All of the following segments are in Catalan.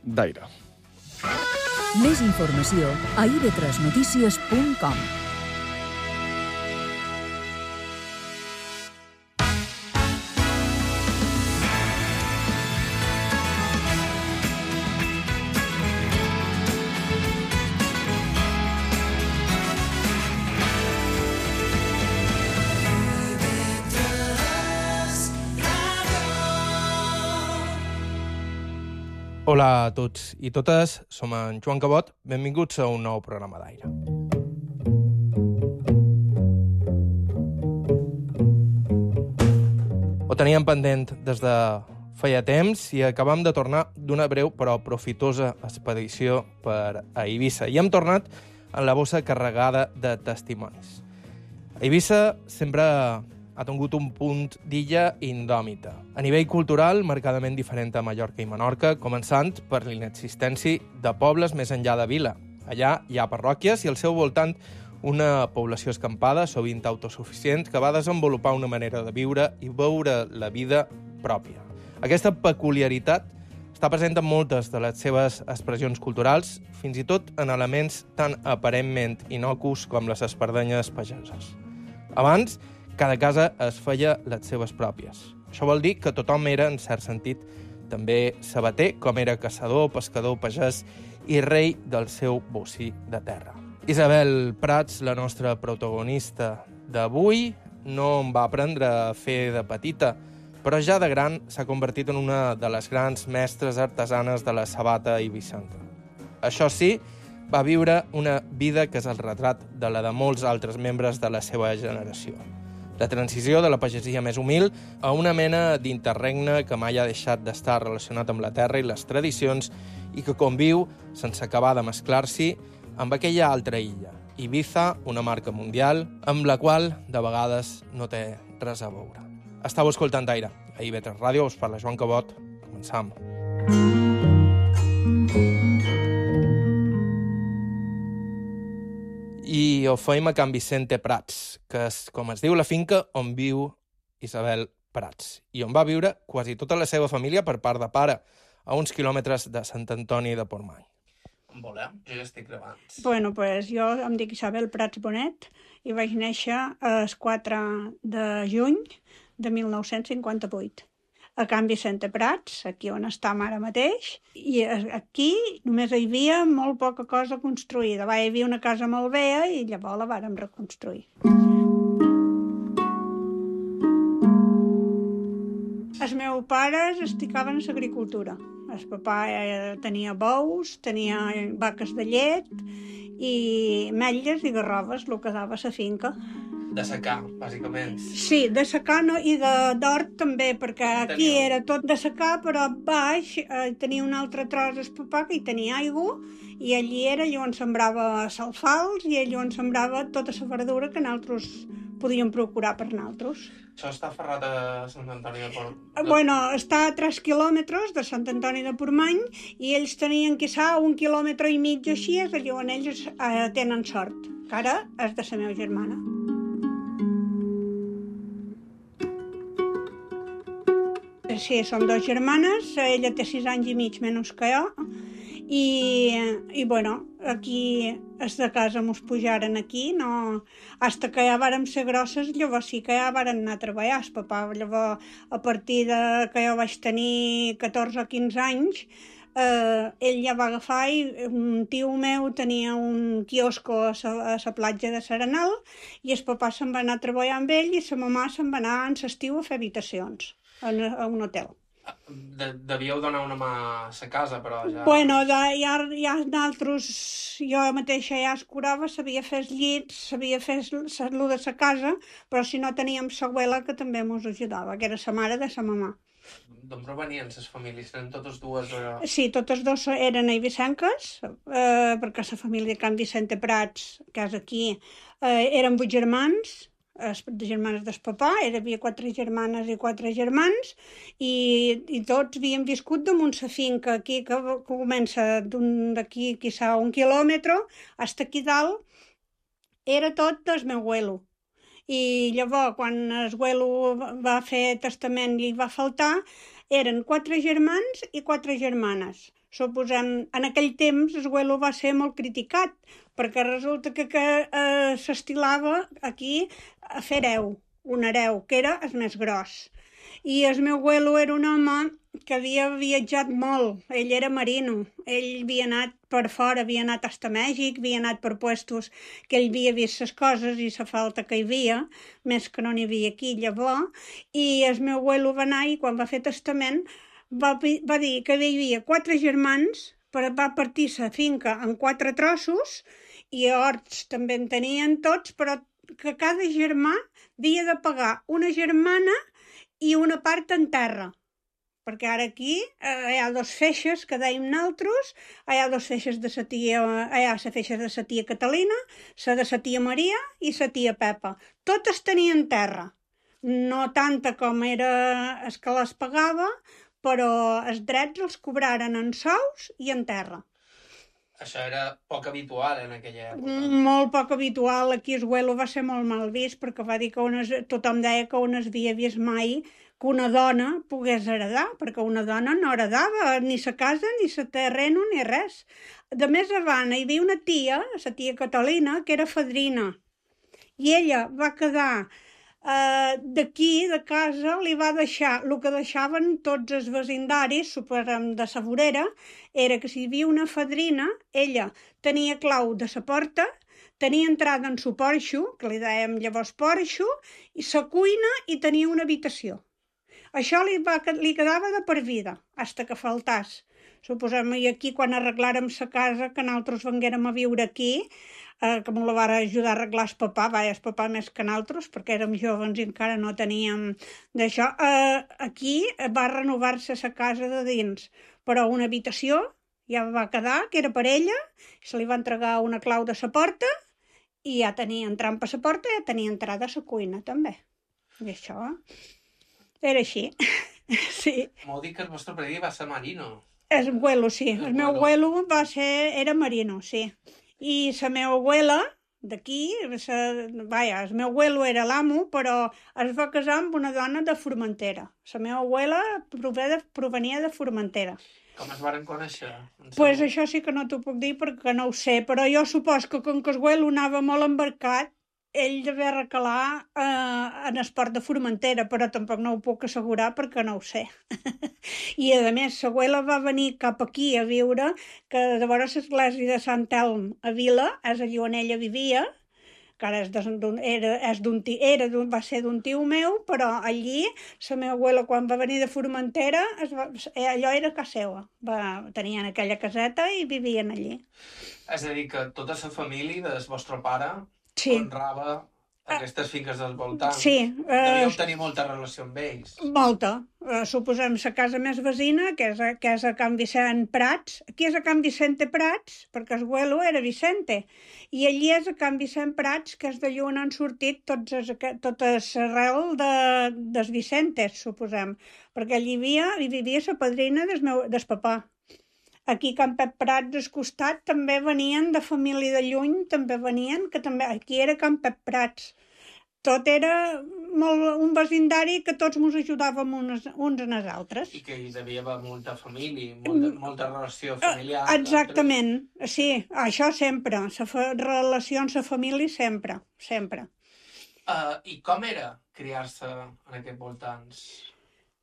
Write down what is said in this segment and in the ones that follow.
d'Aire. Més informació a ib3notícies.com. Hola a tots i totes, som en Joan Cabot, benvinguts a un nou programa d'Aire. Ho teníem pendent des de feia temps i acabam de tornar d'una breu però profitosa expedició per a Eivissa. I hem tornat amb la bossa carregada de testimonis. Eivissa sempre ha tingut un punt d'illa indòmita. A nivell cultural, marcadament diferent a Mallorca i Menorca, començant per l'inexistència de pobles més enllà de vila. Allà hi ha parròquies i al seu voltant una població escampada, sovint autosuficient, que va desenvolupar una manera de viure i veure la vida pròpia. Aquesta peculiaritat està present en moltes de les seves expressions culturals, fins i tot en elements tan aparentment innocus com les espardenyes pageses. Abans, cada casa es feia les seves pròpies. Això vol dir que tothom era, en cert sentit, també sabater, com era caçador, pescador, pagès i rei del seu bocí de terra. Isabel Prats, la nostra protagonista d'avui, no em va aprendre a fer de petita, però ja de gran s'ha convertit en una de les grans mestres artesanes de la sabata eivissenca. Això sí, va viure una vida que és el retrat de la de molts altres membres de la seva generació. La transició de la pagesia més humil a una mena d'interregne que mai ha deixat d'estar relacionat amb la terra i les tradicions i que conviu, sense acabar de mesclar-s'hi, amb aquella altra illa, Ibiza, una marca mundial, amb la qual, de vegades, no té res a veure. Estàu escoltant Aire. A IB3 Ràdio us parla Joan Cabot. Començam. I ho feim a Can Vicente Prats, que és, com es diu, la finca on viu Isabel Prats, i on va viure quasi tota la seva família per part de pare, a uns quilòmetres de Sant Antoni de Portmany. On volem? Jo ja estic gravant. Bueno, pues jo em dic Isabel Prats Bonet i vaig néixer el 4 de juny de 1958. A Can Vicente Prats, aquí on estem ara mateix, i aquí només hi havia molt poca cosa construïda. Hi havia una casa molt vella i llavors la vàrem reconstruir. Els meus pares es dedicaven a l'agricultura. El papà tenia bous, tenia vaques de llet i metlles i garroves, el que dava a la finca. De secar, bàsicament. Sí, de secar no, i d'hort també, perquè aquí era tot de secar, però baix tenia un altre tros el papà que hi tenia aigua, i allí era allà on sembrava salfals i allà on sembrava tota la verdura que nosaltres podíem procurar per nosaltres. Això està ferrat a Sant Antoni de Portmany? Bueno, està a 3 quilòmetres de Sant Antoni de Portmany i ells tenien quizà 1,5 quilòmetres així, és allà on ells tenen sort, que ara és de la meva germana. Sí, som dues germanes, ella té 6 anys i mig menys que jo, i bueno, aquí és de casa mos pujaren aquí, no, hasta que ja vàrem ser grosses, llavors sí que ja vàrem anar a treballar. El papà, llavors, a partir de que jo vaig tenir 14 o 15 anys, ell ja va agafar i un tio meu tenia un quiosco a la platja de Serenal i el papà se'n va anar a treballar amb ell i la mamà se'n va anar en l'estiu a fer habitacions a un hotel. Devíeu donar una mà a la casa, però ja... Bueno, ja nosaltres, jo mateixa ja es curava, sabia fer els llits, sabia fer el de la casa, però si no teníem l'abuela que també ens ajudava, que era la mare de la mamà. D'on provenien les famílies? Eren totes dues? Sí, totes dues eren eivissenques, perquè la família de Can Vicente Prats, que és aquí, eren 8 germans, germanes del papà, hi havia 4 germanes i 4 germans, i tots havíem viscut damunt la finca aquí, que comença d'aquí, quizà 1 quilòmetre, fins aquí dalt, era tot del meu abuelo. I llavors, quan el abuelo va fer testament i va faltar, eren 4 germans i 4 germanes. Suposem, en aquell temps el Güelo va ser molt criticat, perquè resulta que s'estilava aquí a fer un hereu, que era el més gros. I el meu Güelo era un home que havia viatjat molt, ell era marino, ell havia anat per fora, havia anat fins a Mèxic, havia anat per puestos que ell havia vist les coses i la falta que hi havia, més que no n'hi havia aquí llavors, i el meu Güelo va anar i quan va fer testament va dir que hi havia 4 germans, va partir la finca en 4 trossos i horts també en tenien tots, però que cada germà havia de pagar una germana i una part en terra, perquè ara aquí hi ha 2 feixes que dèiem nosaltres, hi ha 2 feixes de la tia, hi ha la feixa de la tia Catalina, la de la tia Maria i la tia Pepa. Totes tenien terra, no tanta com era el que les pagava, però els drets els cobraren en sous i en terra. Això era poc habitual en aquella època. Molt poc habitual. Aquí el Güelo va ser molt mal vist perquè va dir que tothom deia que on es havia vist mai que una dona pogués heredar, perquè una dona no heredava ni sa casa, ni sa terreno, ni res. De més avant hi havia una tia, la tia Catalina, que era fadrina, i ella va quedar d'aquí, de casa, li va deixar el que deixaven tots els vecindaris, suposem de la vorera, era que si hi havia una fadrina, ella tenia clau de la porta, tenia entrada en su porxo, que li dèiem llavors porxo, i la cuina i tenia una habitació. Això li quedava de per vida, fins que faltàs. Suposem, i aquí quan arreglàrem la casa, que nosaltres venguérem a viure aquí, que me la va ajudar a arreglar el papà, el papà més que nosaltres, perquè érem joves i encara no teníem d'això. Aquí va renovar-se la casa de dins, però una habitació ja va quedar, que era per ella, se li va entregar una clau de la porta i ja tenia entrant per la porta i ja tenia entrada a la cuina també. I això era així. Sí. M'ho dic que el vostre pare va ser marino. El Güelo, sí. El meu Güelo era marino, sí. I la meva abuela, d'aquí, el meu Güelo era l'amo, però es va casar amb una dona de Formentera. La meva abuela provenia de Formentera. Com es varen conèixer? Pues això sí que no t'ho puc dir perquè no ho sé, però jo supos que com que el Güelo anava molt embarcat, ell devia recalar en esport de Formentera, però tampoc no ho puc assegurar perquè no ho sé. I a més, la abuela va venir cap aquí a viure, que llavors l'església de Sant Elm a Vila, és allà on ella vivia, que ara va ser d'un tio meu, però allí la meva abuela quan va venir de Formentera, allò era casa seva. Tenien aquella caseta i vivien allí. És a dir, que tota la família del vostre pare honrava aquestes finques dels voltants. Sí. Devíeu tenir molta relació amb ells. Molta. Suposem la casa més vecina, que és a Can Vicent Prats. Aquí és a Can Vicente Prats, perquè el Güelo era Vicente. I allí és a Can Vicent Prats, que és d'allà on han sortit tota l'arrel dels Vicentes, suposem. Perquè allí vivia la padrina del papà. Aquí a Can Pep Prats, al costat, també venien de família de lluny, també venien, que també aquí era Can Pep Prats. Tot era un vecindari que tots ens ajudàvem uns als altres. I que hi devia haver molta família, molta relació familiar. Exactament, sí, això sempre, la relació amb la família sempre. I com era criar-se en aquests voltants?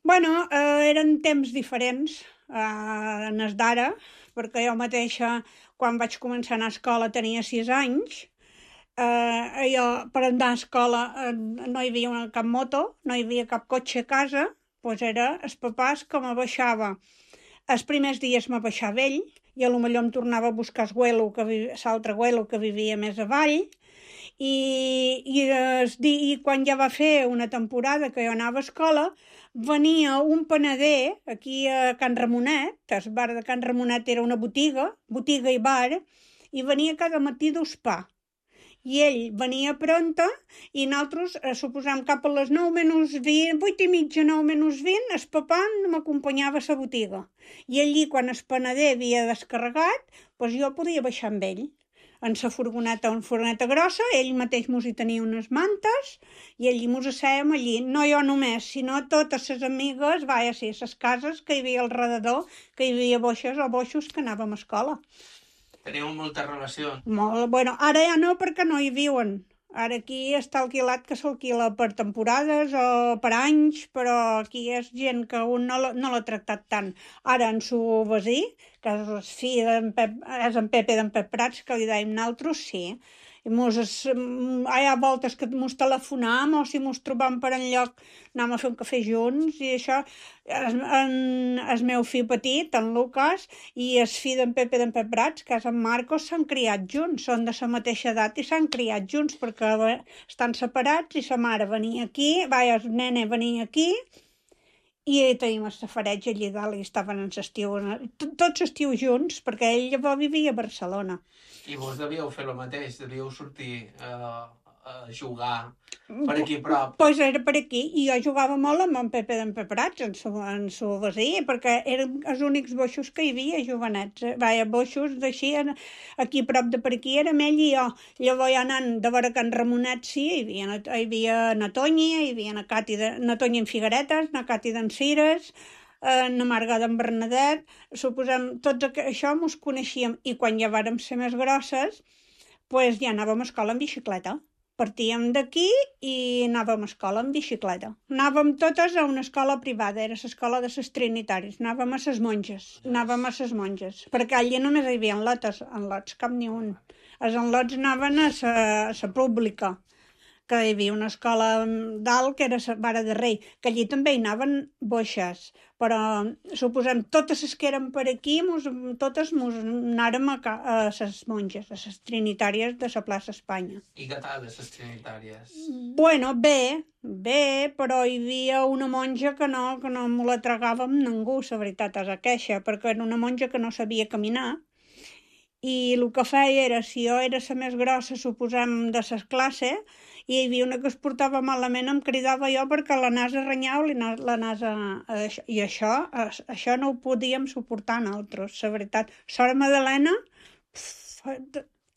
Bueno, eren temps diferents en els d'ara, perquè jo mateixa, quan vaig començar a anar a escola, tenia 6 anys. Jo, per anar a escola, no hi havia cap moto, no hi havia cap cotxe a casa, doncs era els papàs que me baixava. Els primers dies me baixava ell, i potser em tornava a buscar l'altre Güelo que vivia més avall, i quan ja va fer una temporada que jo anava a escola, venia un panader aquí a Can Ramonet, el bar de Can Ramonet era una botiga i bar, i venia cada matí dus pa. I ell venia pronta i nosaltres, suposem, cap a les 9 menys 20, 8 i mitja, 9 menys 20, el papà m'acompanyava a la botiga. I allí, quan el panader havia descarregat, doncs jo podia baixar amb ell. en la furgoneta, una furgoneta grossa, ell mateix mos hi tenia unes mantes i allí mos assèiem allí, no jo només, sinó totes les amigues, sí, les cases que hi havia al redador, que hi havia boixes o boixos que anàvem a escola. Teniu molta relació? Molt, bueno, ara ja no perquè no hi viuen. Ara aquí està alquilat que s'alquila per temporades o per anys, però aquí és gent que un no l'ha tractat tant. Ara en su veí, que és el fill és en Pepe d'en Pep Prats, que li dèiem nosaltres, sí. I hi ha voltes que mos telefonam o si mos trobam per enlloc anem a fer un cafè junts i això. El meu fill petit, en Lucas, i el fill d'en Pepe d'en Pep Prats, que és en Marcos, s'han criat junts, són de la mateixa edat i s'han criat junts perquè estan separats i sa mare venia aquí, el nene venia aquí i tenim el safareig allà dalt i estaven en l'estiu, tots l'estiu junts, perquè ell llavors vivia a Barcelona. I vos devíeu fer el mateix, devíeu sortir a jugar per aquí a prop. Pues era per aquí, i jo jugava molt amb en Pepe d'en Pep Prats, en su veí, perquè eren els únics boixos que hi havia, jovenets. Boixos d'així, aquí a prop de per aquí érem ell i jo. Llavors ja anant de veure Can Ramonet, sí, hi havia na Tonya, hi havia na Tonya en Figueretes, na Cati d'en Cires, na Marga d'en Bernadet, suposem, tots això mos coneixíem, i quan ja vàrem ser més grosses, pues ja anàvem a escola en bicicleta. Partíem d'aquí i anàvem a escola en bicicleta. Anàvem totes a una escola privada, era l'escola de les Trinitaris, anàvem a les monges, perquè allà només hi havia enlots, cap ni un. Els enlots anaven a la pública, que hi havia una escola dalt que era la Vara de Rei, que allí també hi anaven boixes, però suposem totes les que eren per aquí, totes mos anàrem a les monges, a les Trinitàries de la plaça Espanya. I què tal, les Trinitàries? Bueno, bé, però hi havia una monja que no me la tragàvem ningú, la veritat és aqueixa, perquè era una monja que no sabia caminar, i el que feia era, si jo era la més grossa, suposem, de la classe, i hi havia una que es portava malament, em cridava jo perquè la nasa renyau, la nasa... I això no ho podíem suportar nosaltres, la veritat. Sora Madalena,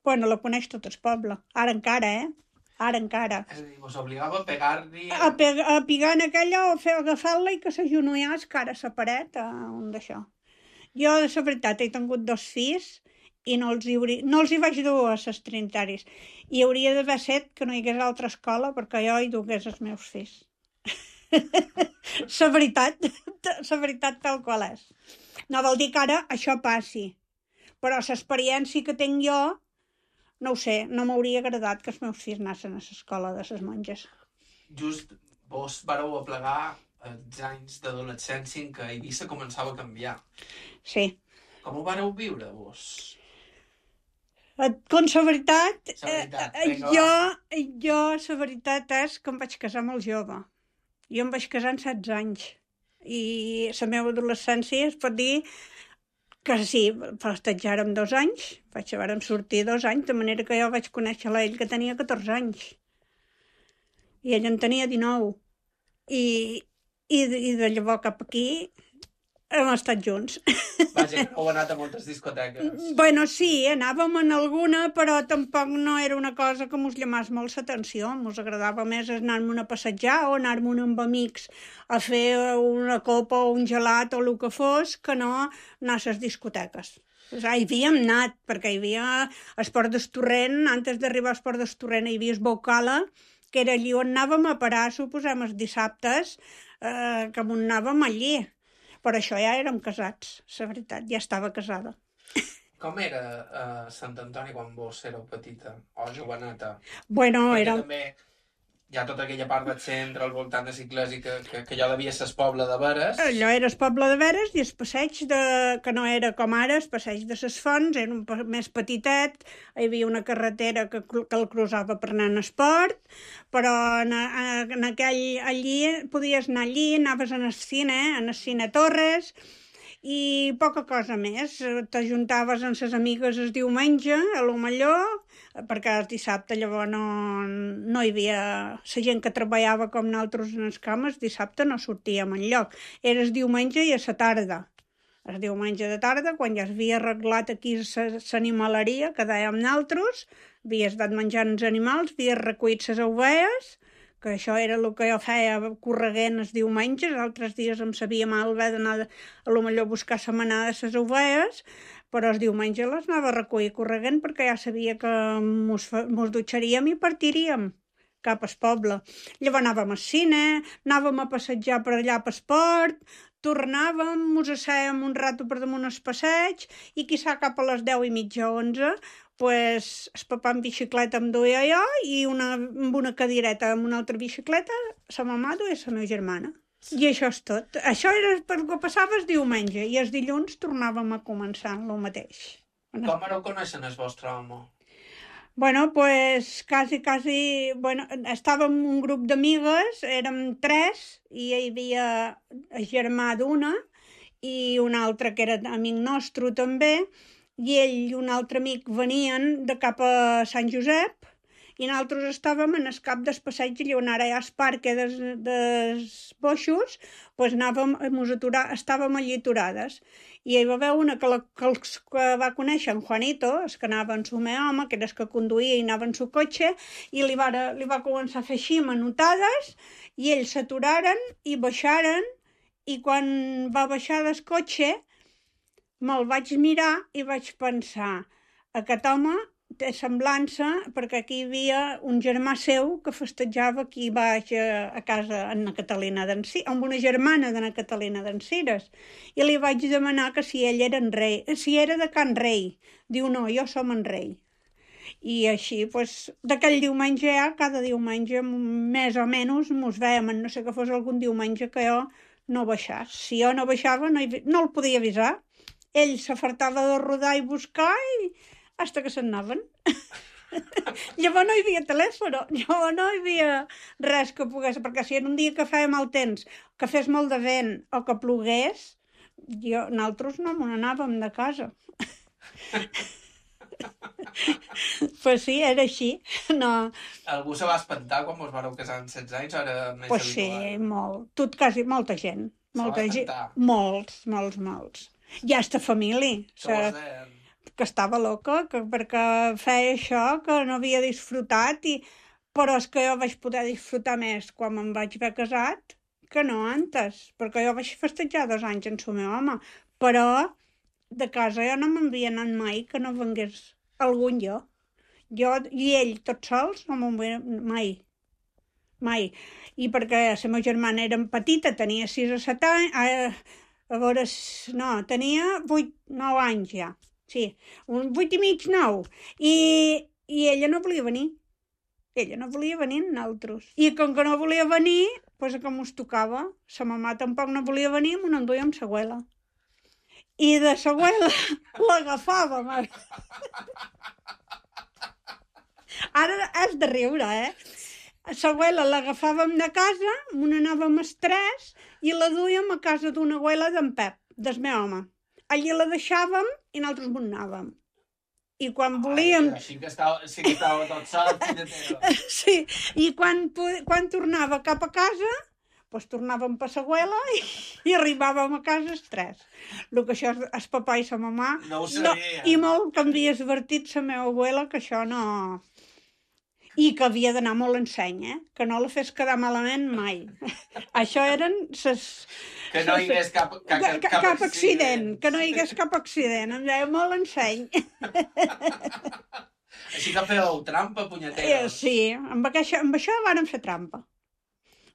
bueno, la coneix tot el poble. Ara encara, Ara encara. És a dir, vos obligava a pegar-li... A pegar en aquella o agafar-la i que s'agenollàs cara a la paret, un d'això. Jo, de la veritat, he tingut 2 fills i no els hi vaig dur a les Trinitaris. I hauria d'haver set que no hi hagués altra escola perquè jo hi dugués els meus fills. La veritat tal qual és. No vol dir que ara això passi, però l'experiència que tinc jo, no ho sé, no m'hauria agradat que els meus fills anessin a l'escola de les monges. Just vos vareu aplegar els anys d'adolescència en què Eivissa començava a canviar. Sí. Com ho vareu viure, vos? Com la veritat, jo la veritat és que em vaig casar molt jove. Jo em vaig casar amb 16 anys. I la meva adolescència es pot dir que sí, festejàrem 2 anys, vàrem sortir 2 anys, de manera que jo vaig conèixer ell que tenia 14 anys. I ell en tenia 19. I de llavors cap aquí hem estat junts. Vaja, heu anat a moltes discoteques. Bueno, sí, anàvem en alguna, però tampoc no era una cosa que mos llamàs molt l'atenció. Mos agradava més anar-me'n a passejar o anar-me'n amb amics a fer una copa o un gelat o el que fos, que no anar a les discoteques. Hi havíem anat, perquè hi havia Esport d'Estorrent, antes d'arribar a Esport d'Estorrent hi havia Esbocala, que era allí on anàvem a parar, suposem, els dissabtes, que on anàvem allí. Per això ja érem casats, la veritat, ja estava casada. Com era Sant Antoni quan vos éreu petita o joveneta? Bueno, perquè era... també hi ha tota aquella part del centre al voltant de Ciclesi que allò devia ser el poble de Veres. Allò era el poble de Veres i el passeig que no era com ara, el passeig de les Fonts, era un més petitet, hi havia una carretera que el cruzava per anar en esport, però en allí podies anar allí, anaves en el cine Torres, i poca cosa més. T'ajuntaves amb les amigues el diumenge, a lo millor, perquè el dissabte llavors no hi havia... La gent que treballava com nosaltres en les cames, dissabte no sortíem enlloc. Era el diumenge i a la tarda. el diumenge de tarda, quan ja s'havia arreglat aquí l'animaleria, que dèiem naltros, havies anat menjant els animals, havies recollit les ovelles, que això era el que jo feia correguent els diumenges, altres dies em sabia mal haver d'anar a lo millor a buscar la manada de les ovelles, però els diumenges les anava a recollir correguent perquè ja sabia que mos dutxaríem i partiríem cap al poble. Llavors anàvem al cine, anàvem a passejar per allà per esport, tornàvem, mos assèiem un rato per damunt el passeig i quizà cap a les 10:30, 11, pues, el papà en bicicleta em duia jo i amb una cadireta amb una altra bicicleta, la mamà duia la meva germana. I això és tot. Això era per què passava el diumenge i els dilluns tornàvem a començar el mateix. Com vareu conèixer el vostre home? Bueno, pues quasi, bueno, estàvem un grup d'amigues, érem 3, i hi havia el germà d'una i un altre que era amic nostre també, i ell i un altre amic venien de cap a Sant Josep i nosaltres estàvem en el cap del passeig on ara hi ha el parc dels boixos, pues estàvem allí aturades. I hi va haver una que va conèixer en Juanito, el que anava en su meu home, que era el que conduïa i anava en su cotxe, i li va començar a fer així manotades, i ells s'aturaren i baixaren, i quan va baixar del cotxe me'l vaig mirar i vaig pensar, aquest home té semblança perquè aquí hi havia un germà seu que festejava aquí baix a casa en Catalina amb una germana de Catalina d'Encires, i li vaig demanar que si ell era en Rei, si era de Can Rei. Diu, no, jo som en Rei. I així, pues, d'aquell diumenge ja, cada diumenge, més o menys, mos veiem, no sé que fos algun diumenge que jo no baixés. Si jo no baixava, no el podia avisar. Ell s'afartava de rodar i buscar i hasta que se'n anaven. Llavors no hi havia telèfon, llavors no hi havia res que pogués, perquè si era un dia que feia mal temps, que fes molt de vent o que plogués, nosaltres no me n'anàvem de casa. Pues sí, era així. No. Algú se va espantar quan vos vareu casar amb 16 anys o era més pues habitual? Sí, molt. Quasi molta gent. Molts. Ja està família. Que estava loca, perquè feia això, que no havia disfrutat, però és que jo vaig poder disfrutar més quan me'n vaig haver casat que no antes, perquè jo vaig festejar 2 anys en el meu home, però de casa jo no m'havia anat mai que no vengués algun jo i ell tots sols no me'n veia mai, i perquè la meva germana era petita, tenia 6 o 7 anys, tenia 8-9 anys ja. Sí, un 8 i mig, 9. I ella no volia venir. Ella no volia venir amb nosaltres. I com que no volia venir, doncs que mos tocava. La mamà tampoc no volia venir, m'ho enduia amb l'abuela. I de l'abuela l'agafàvem. Ara és de riure, L'abuela l'agafàvem de casa, m'ho anàvem els 3 i la duíem a casa d'una abuela d'en Pep, del meu home. Allí la deixàvem i nosaltres m'ho anàvem. I quan volíem... Així que estava tot sol. Sí, i quan tornava cap a casa, doncs tornàvem per l'abuela i arribàvem a casa els 3. El que això és el papà i la mamà... No ho sabia. I molt que havia advertit la meva abuela que això no... I que havia d'anar molt en seny, que no la fes quedar malament mai. Això eren ses... Que no hi hagués cap accident. Que no hi hagués cap accident. Em deia molt en seny. Així que fèieu trampa, punyetera. Sí, amb això vàrem fer trampa.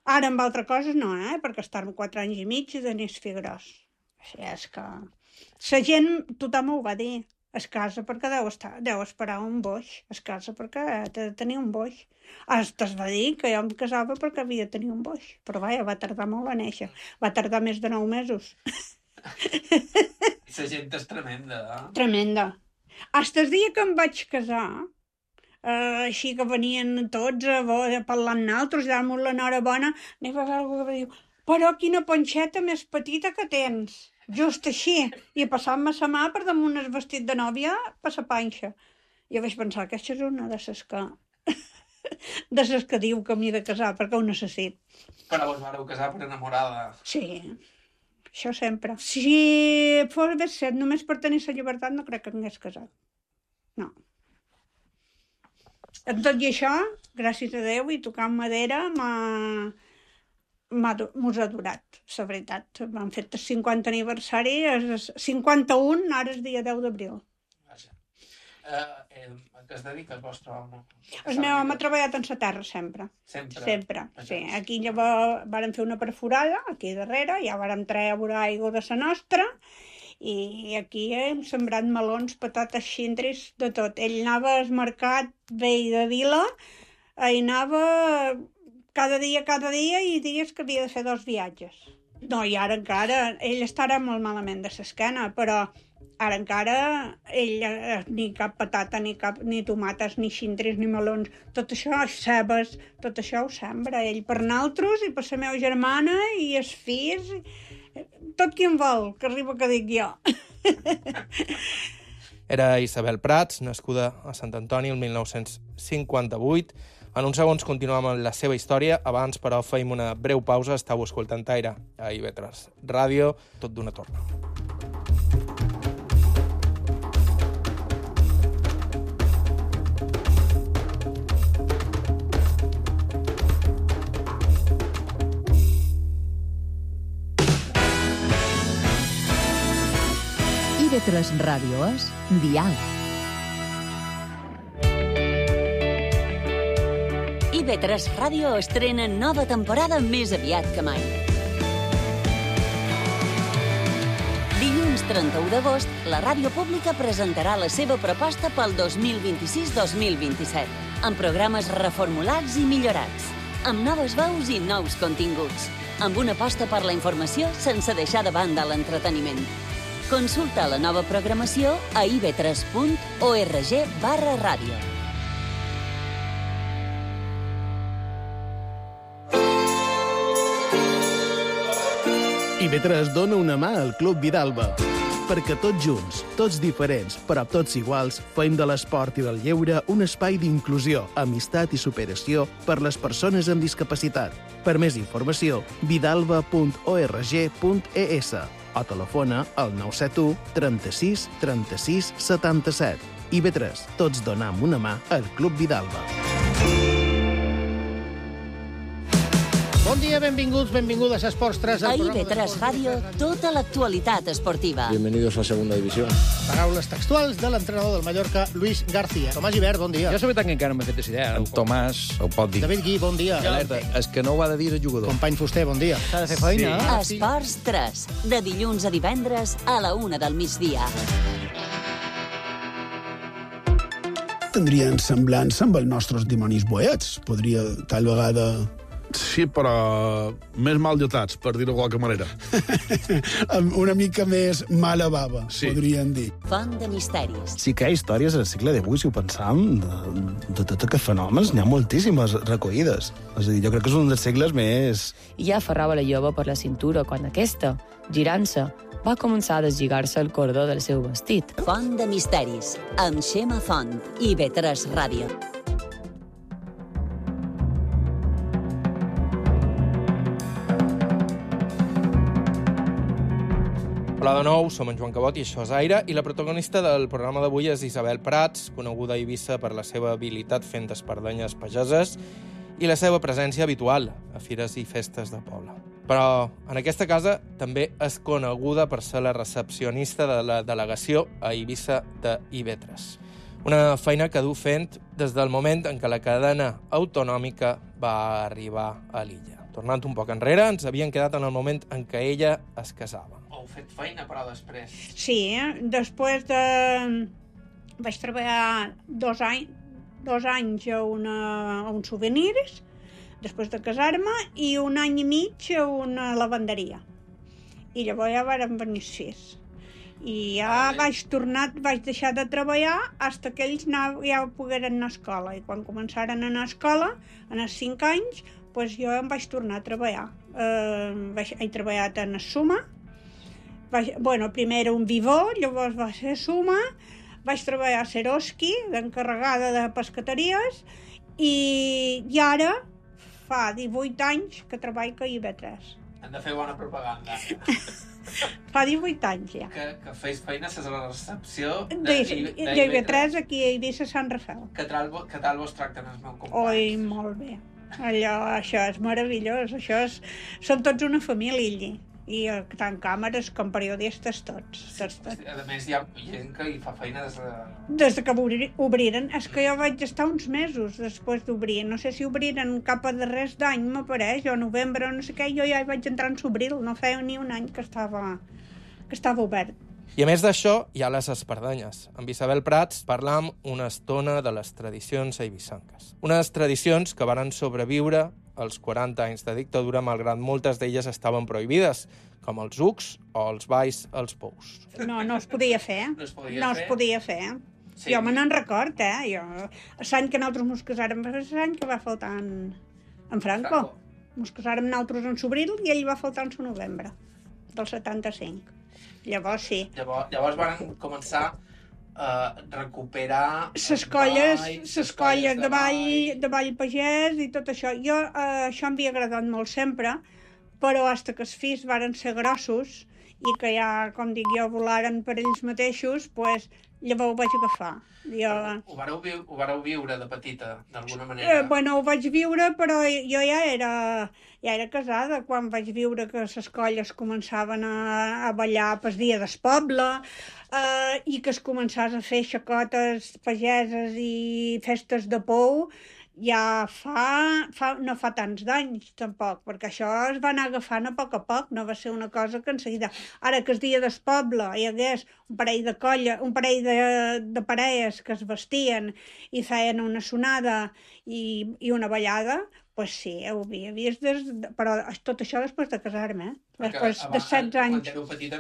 Ara amb altres coses no, perquè estar 4 anys i mig i tenir fill gros. Així és que... La gent, tothom ho va dir. Es casa perquè deu esperar un boix. Es casa perquè ha de tenir un boix. Es va dir que jo em casava perquè havia de tenir un boix. Però vaja, va tardar molt a néixer. Va tardar més de 9 mesos. La gent és tremenda, Tremenda. Hasta el dia que em vaig casar, així que venien tots a parlar amb nosaltres, dar-nos l'enhorabona, n'hi va haver algú que va dir, però quina ponxeta més petita que tens. Just així, i passant-me la mà per damunt el vestit de nòvia per la panxa. Jo vaig pensar que aquesta és una de les que diu que m'hi de casar, perquè ho necessito. Però vos vareu casar per enamorada. Sí, Això sempre. Si fos haver set només per tenir la llibertat, no crec que m'hagués casat. No. En tot i això, gràcies a Déu i tocant madera, mos ha durat, la veritat. M'han fet el 50 aniversari, el 51, ara és dia 10 d'abril. Vaja. A què es dedica el vostre home? El meu home ha treballat en la terra sempre. Sempre, sí. Aquí llavors vàrem fer una perforada, aquí darrere, ja vàrem treure aigua de la nostra, i aquí hem sembrat melons, patates, xindris, de tot. Ell anava al mercat vell de Vila, hi anava cada dia i dies que havia de fer 2 viatges. No, i ara encara, ell estarà molt malament de l'esquena, però ara encara ell ni cap patata, ni tomates, ni xindris, ni melons, tot això, cebes, tot això ho sembra ell per nosaltres i per la meva germana i els fills, tot qui en vol, que arriba que dic jo. Era Isabel Prats, nascuda a Sant Antoni el 1958. En uns segons continuem amb la seva història. Abans, però, feim una breu pausa. Estau escoltant Aire a IB3 Ràdio, tot d'una torna. IB3 Ràdio és Dial. IB3 Ràdio estrena nova temporada més aviat que mai. Dilluns 31 d'agost, la ràdio pública presentarà la seva proposta pel 2026-2027, amb programes reformulats i millorats, amb noves veus i nous continguts, amb una aposta per la informació sense deixar de banda l'entreteniment. Consulta la nova programació a ib3.org/ràdio. IB3 dona una mà al Club Vidalba, perquè tots junts, tots diferents, però tots iguals, fem de l'esport i del lleure un espai d'inclusió, amistat i superació per les persones amb discapacitat. Per més informació, vidalba.org.es o telefona al 971 36 36 77. IB3, tots donam una mà al Club Vidalba. Bon dia, benvinguts, benvingudes a Esports 3. A IB3 Ràdio, tota l'actualitat esportiva. Bienvenidos a Segunda División. Paraules textuals de l'entrenador del Mallorca, Luis García. Tomàs Gibert, bon dia. Jo la veritat que encara no m'he fet idea. En Tomàs ho pot dir. David Gui, bon dia. Alerta, és que no ho ha de dir el jugador. Company Fuster, bon dia. S'ha de fer feina. Sí. Esports 3, de dilluns a divendres a la 1 del migdia. Tindrien semblança amb els nostres dimonis boets. Podria, tal vegada... Sí, però més mal dotats, per dir-ho de qualque manera. Una mica més mala bava, sí. Podríem dir. Font de misteris. Sí que hi ha històries al segle XVIII, si ho pensam, de tots aquests fenòmens, n'hi ha moltíssimes recollides. És a dir, jo crec que és un dels segles més... I ja aferrava la jove per la cintura quan aquesta, girant-se, va començar a deslligar-se el cordó del seu vestit. Font de misteris, amb Xema Font, IB3 Ràdio. Hola de nou, som en Joan Cabot i això és Aire, i la protagonista del programa d'avui és Isabel Prats, coneguda a Eivissa per la seva habilitat fent espardenyes pageses i la seva presència habitual a fires i festes de poble. Però en aquesta casa també és coneguda per ser la recepcionista de la delegació a Eivissa de IB3. Una feina que du fent des del moment en què la cadena autonòmica va arribar a l'illa. Tornant un poc enrere, ens havien quedat en el moment en què ella es casava. Heu fet feina, però després. Sí, després de... Vaig treballar 2 anys a uns souvenirs, després de casar-me, i 1 any i mig a una lavanderia. I llavors ja varen venir els fills. I ja vaig deixar de treballar fins que ells ja pogueren anar a escola. I quan començaren a anar a escola, en els 5 anys, doncs jo em vaig tornar a treballar. He treballat en Suma. Primer era un Vivó, llavors va ser Suma. Vaig treballar a Seroski, d'encarregada de pescateries, i ara fa 18 anys que treballo a IB3. Hem de fer bona propaganda. Fa 18 anys ja. Que feis feina a la recepció d'IV3 aquí a Eivissa Sant Rafel. Que tal vos tracten els meus companys? Oi, molt bé. Això és meravellós. Som tots una família allí. I tant càmeres com periodistes tots. A més, hi ha gent que hi fa feina des que obriren. És que jo vaig estar uns mesos després d'obrir. No sé si obriren cap a darrers d'any, m'apareix, o novembre, o no sé què. Jo ja hi vaig entrar en s'obril. No feia ni un any que estava obert. I a més d'això, hi ha les espardenyes. Amb Isabel Prats parlam una estona de les tradicions eivissanques. Unes tradicions que varen sobreviure als 40 anys de dictadura, malgrat moltes d'elles estaven prohibides, com els ucs o els balls als pous. No es podia fer. No es podia fer. Sí. Jo me n'en record, l'any que nosaltres mos casàrem, l'any que va faltar en Franco. Mos casàrem nosaltres en s'obril i ell va faltar en novembre del 75. Llavors sí. Llavors van començar a recuperar les colles de ball pagès i tot això. Això em havia agradat molt sempre, però fins que els fills varen ser grossos i que ja, com dic jo, volaren per ells mateixos, doncs llavors ho vaig agafar. Ho vareu viure de petita, d'alguna manera? Ho vaig viure, però jo ja era casada quan vaig viure que les colles començaven a ballar pel dia del poble i que es començàs a fer xacotes pageses i festes de pou ja no fa tants d'anys, tampoc, perquè això es va anar agafant a poc, no va ser una cosa que en seguida... Ara que el dia del poble hi hagués un parell de parelles que es vestien i feien una sonada i una ballada, doncs sí, ho havia vist, però tot això després de casar-me, després de 16 anys. Quan éreu petita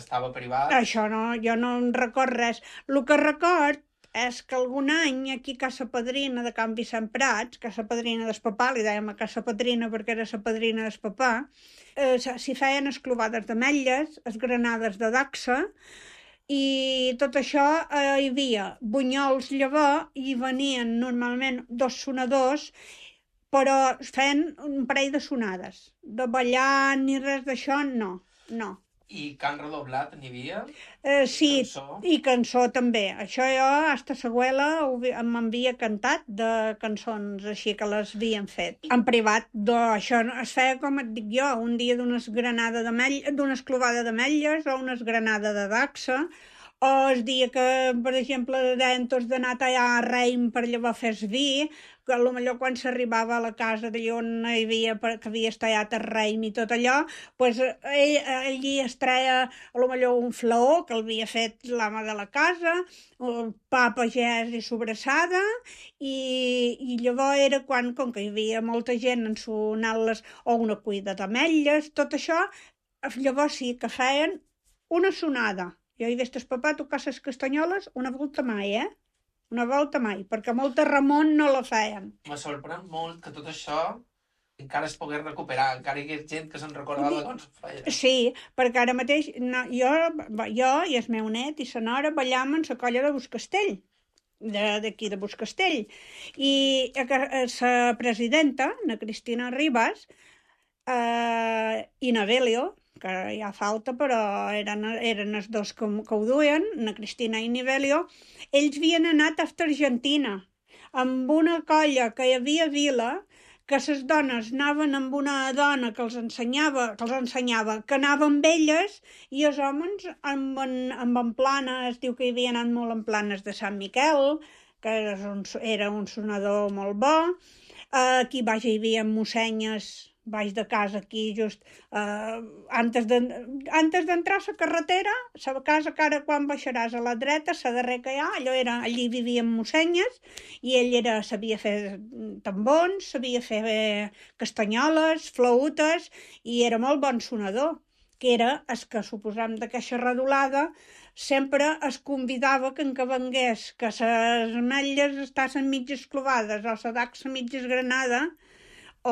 estava privat? Això no, jo no en record res. El que record és que algun any aquí a Casa Padrina de Can Vicent Prats, Casa Padrina del papà, li dèiem a Casa Padrina perquè era la padrina del papà, s'hi feien esclovades d'ametlles, esgranades de dacsa, i tot això hi havia bunyols llavor i venien normalment 2 sonadors, però feien un parell de sonades. De ballar ni res d'això, no. I cant redoblat n'hi havia? Sí, i cançó també. Això jo, hasta l'abuela, m'havia cantat de cançons així que les havien fet. En privat, això es feia, com et dic jo, un dia d'una esclovada d'ametlles o una esgranada de dacsa, o el dia que, per exemple, deien tots d'anar a tallar a Reim per llavors fer vi, que potser quan s'arribava a la casa d'allà on hi havia, que havies tallat el Reim i tot allò, doncs allí es treia potser un flaó que l'havia fet l'ama de la casa, pa pagès i sobrassada, i llavors era quan, com que hi havia molta gent ensonant-les, o una cuida d'ametlles, tot això, llavors sí que feien una sonada. Jo he vist el papà tocar les castanyoles una volta mai, Una volta mai, perquè molta Ramon no la feien. Me sorprèn molt que tot això encara es pogués recuperar, encara hi hagués gent que se'n recordava de com es feia. Sí, perquè ara mateix jo i el meu net i la nora ballam en la colla de Buscastell, d'aquí de Buscastell. I la presidenta, na Cristina Ribas, i na Belio, que ja falta, però eren els dos que ho duien, na Cristina i Nivelio, ells havien anat a Argentina amb una colla que hi havia a Vila, que les dones anaven amb una dona que els ensenyava, que anava amb elles, i els homes amb en planes, diu que hi havia anat molt en planes de Sant Miquel, que era un sonador molt bo. Aquí baix hi havia mussenyes baix de casa, aquí just antes d'entrar a la carretera, la casa que ara quan baixaràs a la dreta, la darrera que hi ha, allí vivien mussenyes, i ell sabia fer tambons, sabia fer castanyoles, flautes, i era molt bon sonador, que era el que suposam d'aquesta redolada, sempre es convidava que en què vengués, que les ametlles estaven mitges clovades, o la dacsa mitges granada, o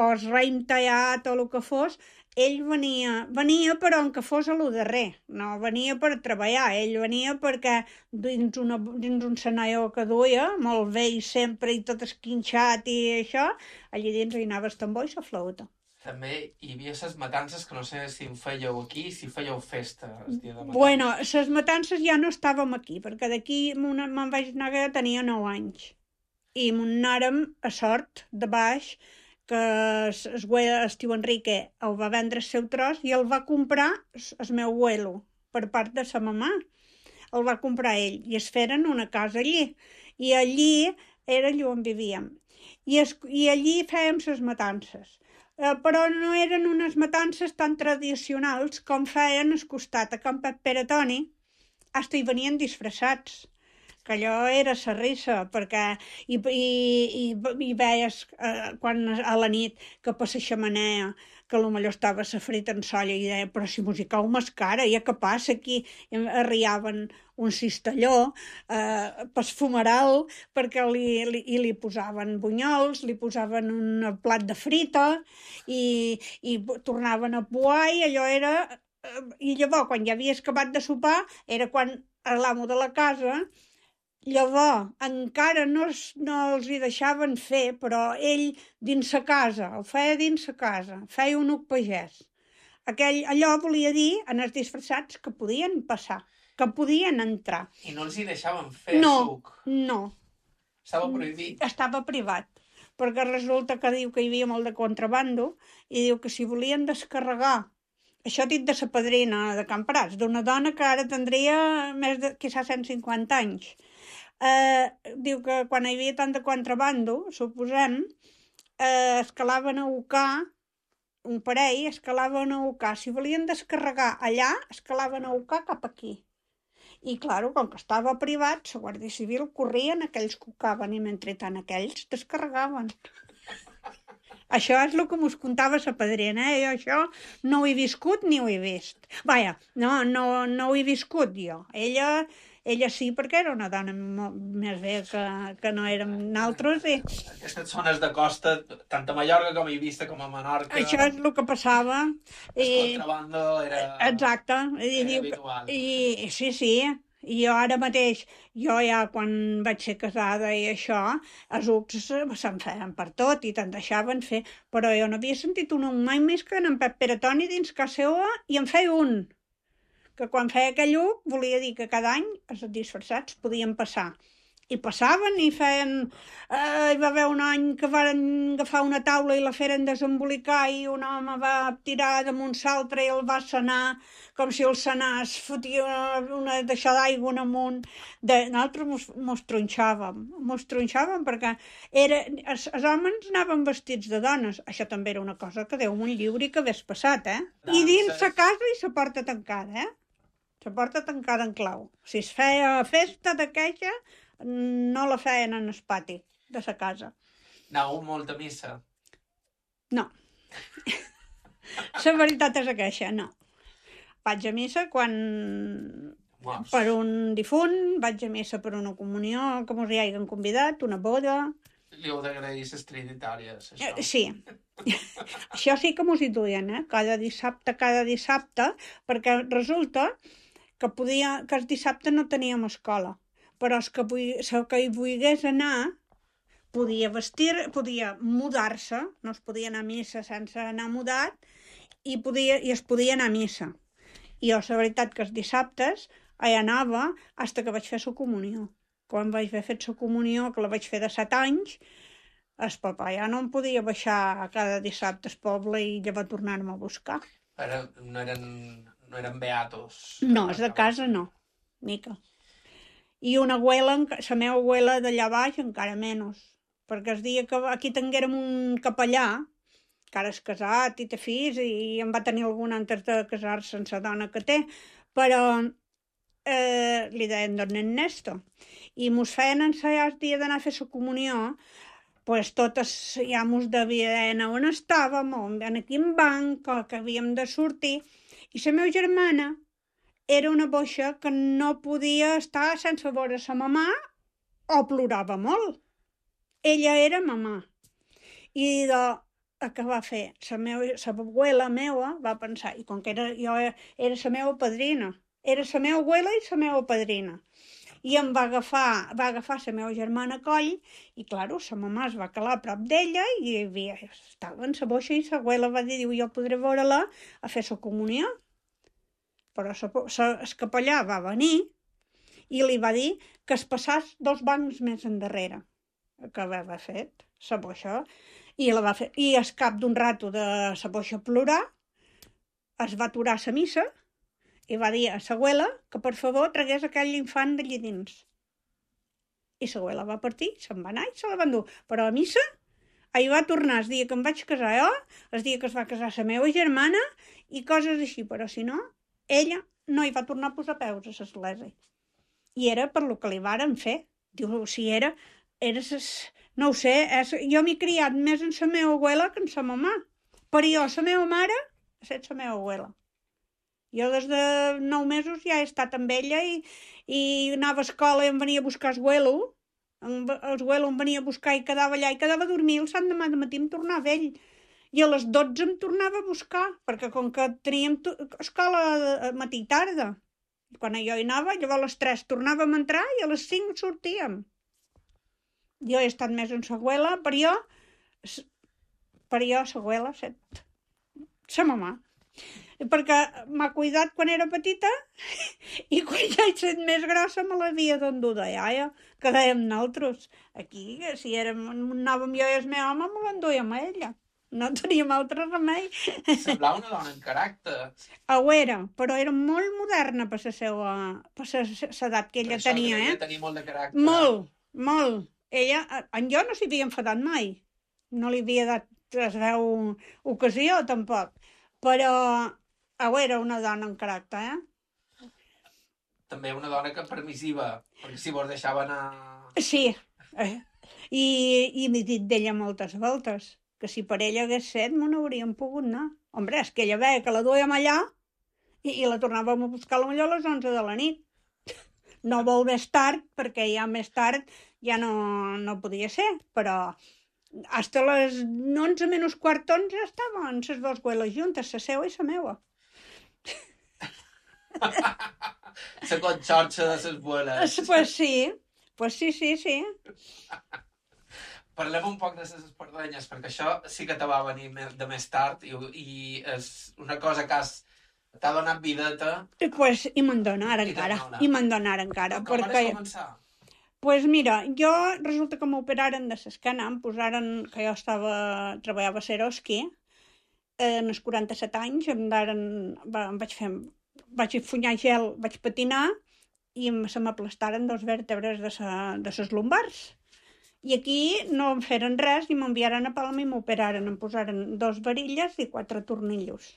el raïm tallat o el que fos, ell venia però en que fos a lo darrer, no venia per treballar, ell venia perquè dins un senaió que duia, molt vell sempre i tot esquinxat i això, allí dins hi anava el tambor i la flauta. També hi havia les matances, que no sé si en fèieu aquí, si fèieu festa el dia de matances. Bueno, les matances ja no estàvem aquí, perquè d'aquí me'n vaig anar que tenia 9 anys. I anàrem a Sort, de baix, que el tio Enrique el va vendre el seu tros i el va comprar el meu abuelo, per part de sa mamà. El va comprar ell i es feren una casa allí. I allí era allà on vivíem. I allí fèiem les matances. Però no eren unes matances tan tradicionals com feien al costat a Can Pere Toni, hasta hi venien disfressats, que allò era la risa, perquè i veies quan a la nit que per la xemeneia, que potser estava la frita en solla i deia, però si musicau més cara, ja què passa aquí? I arriaven un cistelló pel fumeral, perquè li posaven bunyols, li posaven un plat de frita i tornaven a poar i allò era... I llavors, quan ja havies acabat de sopar, era quan l'amo de la casa... Llavors, encara no els hi deixaven fer, però ell dins sa casa, el feia dins sa casa, feia un uc pagès. Allò volia dir, en els disfressats, que podien passar, que podien entrar. I no els hi deixaven fer suc? No. Estava prohibit? Estava privat, perquè resulta que diu que hi havia molt de contrabando i diu que si volien descarregar, això dit de sa padrina de Camprats, d'una dona que ara tindria més de, quizás, 150 anys, diu que quan hi havia tant de contrabando, suposem, escalaven a Ucà, un parell escalaven a Ucà. Si volien descarregar allà, escalaven a Ucà cap aquí. I, clar, com que estava privat, la Guàrdia Civil corrien aquells que ucaven i mentrestant aquells descarregaven. Això és el que mos contava sa padrina, Jo això no ho he viscut ni ho he vist. Vaja, no ho he viscut jo. Ella sí, perquè era una dona més bé que no érem nosaltres. Aquestes zones de costa, tant a Mallorca com a Eivissa com a Menorca... Això és el que passava. El contrabando era... Exacte. Era habitual. Sí. I jo ara mateix, quan vaig ser casada i això, els ucs se'n feien per tot i te'n deixaven fer, però jo no havia sentit un mai més que en Pep Pere Toni dins casa seva i en feia un. Que quan feia aquell uc volia dir que cada any els disfressats podien passar. I passaven i feien... Hi va haver un any que van agafar una taula i la feren desembolicar i un home va tirar damunt l'altre i el va sanar com si el sanàs fotia una deixada d'aigua amunt. Nosaltres mos tronxàvem perquè els homes anaven vestits de dones. Això també era una cosa que Déu me'n lliuri que hagués passat, I dins la casa i la porta tancada, La porta tancada en clau. Si es feia festa d'aquella, no la feien en el pati de la casa. Anàveu molt a missa? No. La veritat és aquesta, no. Vaig a missa quan... per un difunt, vaig a missa per una comunió, que mos hi hagin convidat, una boda... Li heu d'agrair les trinitàries, això. Sí. Això sí que mos hi duien, cada dissabte, perquè resulta que el dissabte no teníem escola, però el que hi volgués anar podia mudar-se, no es podia anar a missa sense anar mudat, i es podia anar a missa. I jo, la veritat, que els dissabtes hi anava fins que vaig fer la comunió. Quan vaig haver fet la comunió, que la vaig fer de 7 anys, el papà ja no em podia baixar cada dissabte al poble i ja va tornar-me a buscar. Però no eren beatos? No, és de casa no, mica. I una abuela, la meva abuela d'allà baix, encara menys, perquè el dia que aquí tinguérem un capellà, que ara és casat i té fills, i en va tenir algun antes de casar-se amb la dona que té, però li deien don Ernesto, i mos feien ensaiar el dia d'anar a fer la comunió, pues totes ja mos devia dir on estàvem, en quin banc, que havíem de sortir, i la meva germana era una boixa que no podia estar sense veure sa mamà o plorava molt. Ella era mamà. I què va fer? La abuela meva va pensar, i com que jo era la meva padrina, era la meva abuela i la meva padrina. i em va agafar la meva germana a coll, i, claro, sa mamà es va calar a prop d'ella i estava en sa boixa i sa abuela va dir, jo podré veure-la a fer sa comunió. Però el capellà va venir i li va dir que es passàs 2 bancs més endarrere, que havia fet sa boixa, i al cap d'un rato de sa boixa plorar, es va aturar sa missa i va dir a sa abuela que per favor tragués aquell infant d'allí dins. I sa abuela va partir, se'n va anar i se la va endur. Però a missa hi va tornar el dia que em vaig casar jo, el dia que es va casar la meva germana i coses així, però si no, ella no hi va tornar a posar peus a l'església. I era per lo que li varen fer. Diu, si era no ho sé, jo m'he criat més en la meva abuela que en la mamà. Per jo, la meva mare ha estat la meva abuela. Jo des de 9 mesos ja he estat amb ella i anava a escola i em venia a buscar el abuelo em venia a buscar i quedava allà i quedava a dormir, el sant demà de matí em tornava ell. I a les 12 em tornava a buscar, perquè com que teníem escola matí i tarda, quan jo hi anava, llavors a les 3 tornàvem a entrar i a les 5 sortíem. Jo he estat més en la abuela, per jo la abuela, sa mamà. Perquè m'ha cuidat quan era petita i quan ja he estat més grossa me l'havia d'endur de iaia, que dèiem nosaltres. Aquí, si anàvem jo i el meu home, me l'enduíem a ella. No teníem altre remei. Semblava una dona en caràcter. Ho era, però era molt moderna per l'edat que ella tenia. Ella tenia molt de caràcter. Molt. Ella, en jo no s'hi havia enfadat mai. No li havia dat ocasió, tampoc. Però era una dona en caràcter, També una dona permissiva, perquè si vos deixava anar... Sí, i m'he dit d'ella moltes voltes, que si per ella hagués set, me n'hauríem pogut anar. Hombre, és que ella veia que la duíem allà i la tornàvem a buscar potser a les 11 de la nit. No molt més tard, perquè ja més tard ja no podia ser, però hasta les 11 menys quart 11 estaven les 2 abueles juntes, la seva i la meva. La conxorxa de les abueles. Pues sí. Parlem un poc de les espardenyes, perquè això sí que te va venir de més tard i és una cosa que t'ha donat videta. Pues, i me'n dona ara encara. Com vas començar? Pues mira, jo resulta que m'operaren de l'esquena, em posaren, que jo treballava a Seroski, en els 47 anys, vaig funyar gel, vaig patinar i se m'aplastaren 2 vèrtebres de les lumbars. I aquí no em feren res i m'enviaren a Palma i m'operaren, em posaren 2 varilles i 4 tornillos.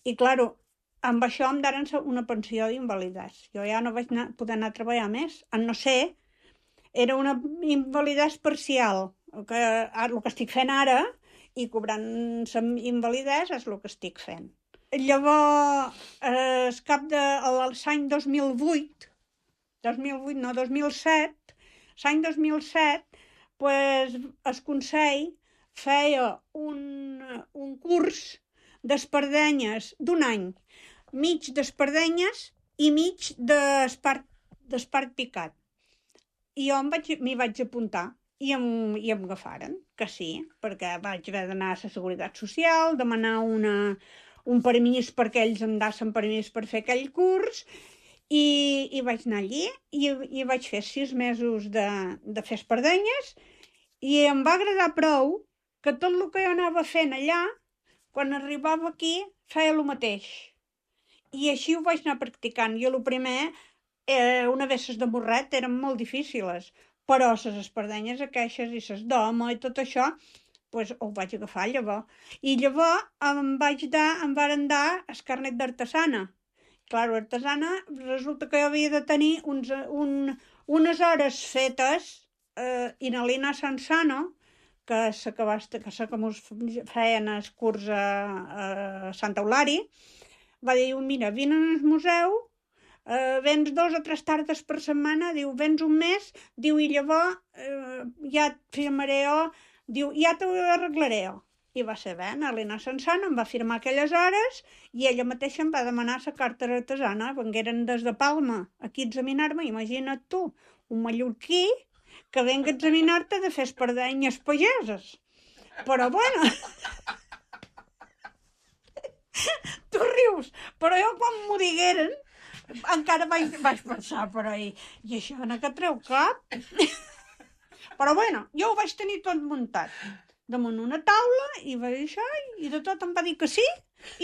I, claro, amb això em daren una pensió d'invalidesa. Jo ja no vaig poder anar a treballar més, a no ser... Era una invalidesa parcial, el que estic fent ara, i cobrant invalidesa és el que estic fent. Llavors, al cap de l'any 2007, l'any 2007, pues, el Consell feia un curs d'espardenyes d'1 any, mig d'espardenyes i mig d'espart picat. I jo m'hi vaig apuntar i em agafaren, que sí, perquè vaig haver d'anar a la Seguretat Social, demanar un permís perquè ells em dassen permís per fer aquell curs i vaig anar allí i vaig fer 6 mesos de fer espardenyes i em va agradar prou que tot el que jo anava fent allà, quan arribava aquí, feia el mateix. I així ho vaig anar practicant. Jo el primer... una vegada de morret eren molt difícils, però les espardenyes aquestes i les d'home i tot això, pues, ho vaig agafar llavors. I llavors em varen dar el carnet d'artesana. Clar, artesana resulta que jo havia de tenir unes hores fetes i na Lina Sansano, que sé que mos feien el curs a Sant Eulari, va dir, mira, vine al museu, vens 2 o 3 tardes per setmana, diu, vens un mes, diu, i llavors ja et firmaré jo, diu, ja t'ho arreglaré jo. I va ser bé, l'Helena Sansana em va firmar aquelles hores i ella mateixa em va demanar la carta artesana. Vengueren des de Palma aquí a examinar-me, imagina't tu, un mallorquí que venga a examinar-te de fer espardenyes pageses. Però bueno... Tu rius, però jo quan m'ho digueren encara vaig pensar, però i això no que treu cap? Però bueno, jo ho vaig tenir tot muntat damunt una taula i va dir això i de tot em va dir que sí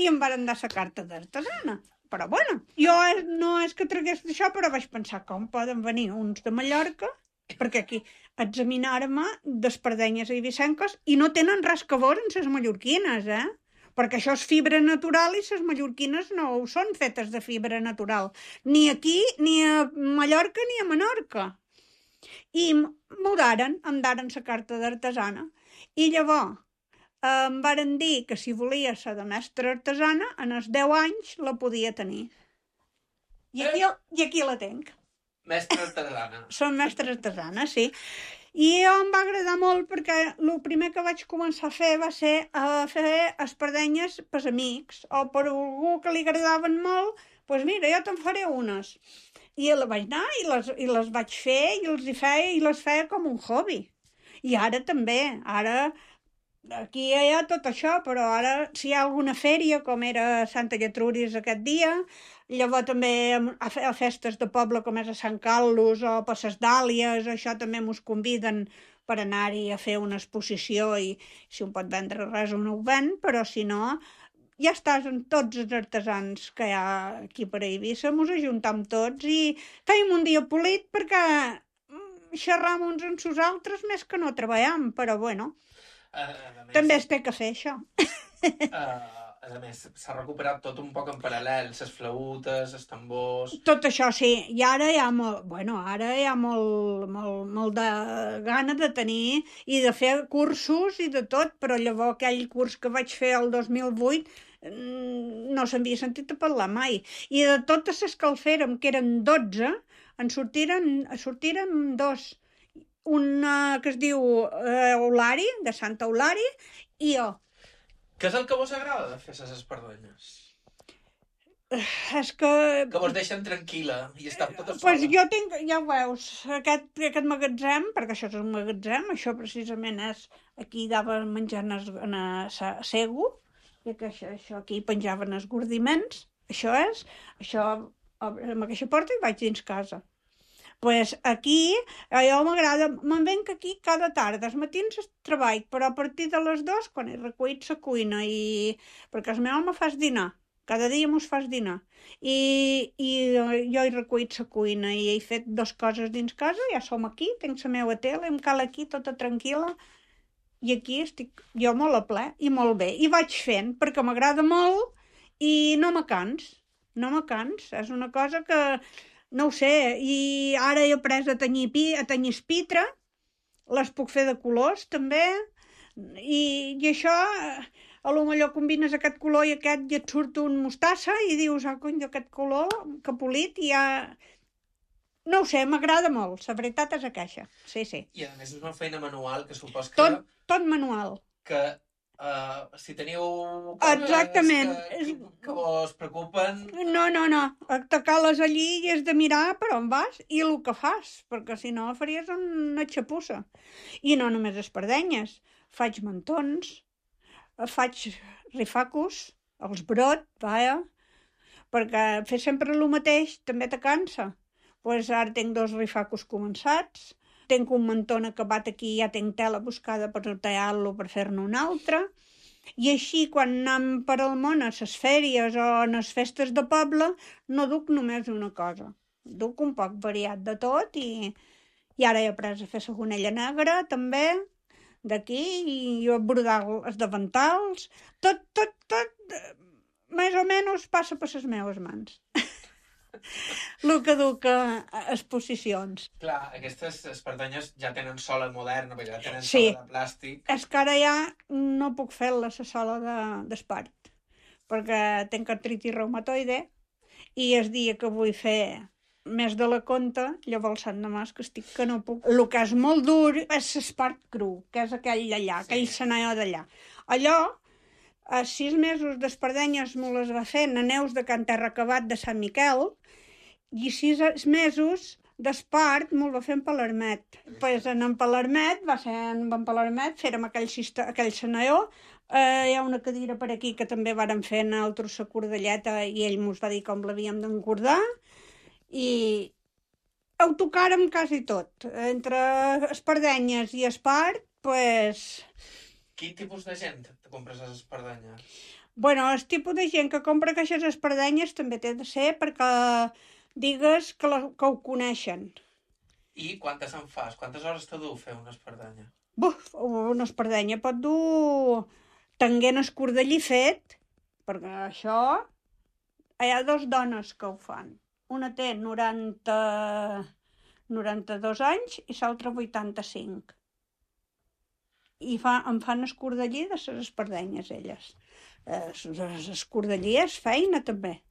i em van dar la carta d'artesana. Però bueno, jo no és que tragués d'això, però vaig pensar com poden venir uns de Mallorca perquè aquí examinar-me d'espardenyes eivissenques i no tenen res que veure amb les mallorquines, perquè això és fibra natural i les mallorquines no ho són fetes de fibra natural, ni aquí, ni a Mallorca ni a Menorca. I m'ho daren, em daren la carta d'artesana. I llavors em varen dir que si volia ser de mestra artesana, en els 10 anys la podia tenir. I aquí la tenc. Mestra artesana. Som mestra artesana, sí. I em va agradar molt perquè el primer que vaig començar a fer va ser a fer espardenyes per amics o per algú que li agradaven molt, doncs mira, jo te'n faré unes. I la vaig anar i les vaig fer i les feia com un hobby. I ara també, aquí hi ha tot això, però ara si hi ha alguna fèria, com era Santa Gertrudis aquest dia, llavors també a festes de poble com és a Sant Carlos o per les Dàlies, això també mos conviden per anar-hi a fer una exposició i si un pot vendre res un ho ven, però si no, ja estàs amb tots els artesans que hi ha aquí per Eivissa, mos ajuntam tots i feim un dia polit perquè xerram uns amb els altres més que no treballem, però bueno, també es té que fer això. A més, s'ha recuperat tot un poc en paral·lel, les flautes, els tambors... Tot això, sí. I ara hi ha molt de gana de tenir i de fer cursos i de tot, però llavors aquell curs que vaig fer el 2008 no s'havia sentit a parlar mai. I de totes les que el fèrem, que eren 12, en sortiren 2. Una que es diu Eulari, de Santa Eulari, i jo. Què és el que vos agrada de fer les espardenyes? És que vos deixen tranquil·la i està tota sola. Pues jo tinc, ja ho veus, aquest magatzem, perquè això és un magatzem, això precisament és, aquí daven menjant a Sego, i això aquí penjaven els gordiments, això amb aquesta porta i vaig dins casa. Pues aquí, jo m'agrada, me'n venc aquí cada tarda, els matins treball, però a partir de les 2, quan he recollit la cuina, perquè el meu home fas dinar, cada dia mos fas dinar, i jo he recollit la cuina i he fet 2 coses dins casa, ja som aquí, tinc la meva tele, em cal aquí tota tranquil·la, i aquí estic jo molt a ple i molt bé, i vaig fent, perquè m'agrada molt i no me cans, és una cosa que... No ho sé, i ara he après a tenyir espitre, les puc fer de colors també, i això, a lo millor combines aquest color i aquest i et surt un mostassa i dius, cony, aquest color que polit i ja... No ho sé, m'agrada molt, la veritat és aquesta, sí. I a més és una feina manual que supos que... Tot manual. Que... si teniu coses que vos preocupen... No, atacar-les allí i és de mirar per on vas i el que fas, perquè si no faries una xapussa. I no només espardenyes, faig mantons, faig rifacos, els brot, perquè fer sempre el mateix també te cansa. Pues ara tinc 2 rifacos començats, tinc un mantón acabat aquí, ja tinc tela buscada per tallar-lo per fer-ne un altre, i així quan anem per al món a les fèries o a les festes de poble no duc només una cosa, duc un poc variat de tot i ara he après a fer la gonella negra també, d'aquí, i a brodar els davantals, tot, més o menys passa per les meves mans. El que duc a exposicions. Clar, aquestes espardenyes ja tenen sola moderna, perquè ja tenen sola de plàstic. És que ara ja no puc fer-la la sola d'espart, perquè tinc artritis reumatoide i el dia que vull fer més de la conta, llavors Sant de Mas, que estic que no puc. El que és molt dur és l'espart cru, que és aquell d'allà, aquell senaió d'allà. Allò, a 6 mesos d'espardenyes me les va fer a Neus de Can Terracabat de Sant Miquel, i 6 mesos d'espart me'l va fer en Palermet. Pues en Palermet, va ser en Palermet, fèrem aquell senaió. Hi ha una cadira per aquí que també vàrem fer en el Trossa Cordelleta i ell mos va dir com l'havíem d'encordar i ho tocàrem quasi tot. Entre espardenyes i espart, pues... Quin tipus de gent te compres les espardenyes? Bueno, el tipus de gent que compra aquestes espardenyes també té de ser perquè digues que ho coneixen. I quantes en fas? Quantes hores te du fer una espardenya? Buf, una espardenya pot dur... Tenguent escordellí fet, perquè això... Hi ha 2 dones que ho fan. Una té 92 anys i l'altra 85. I em fan escordellí de les espardenyes, elles. Escordellí és feina, també.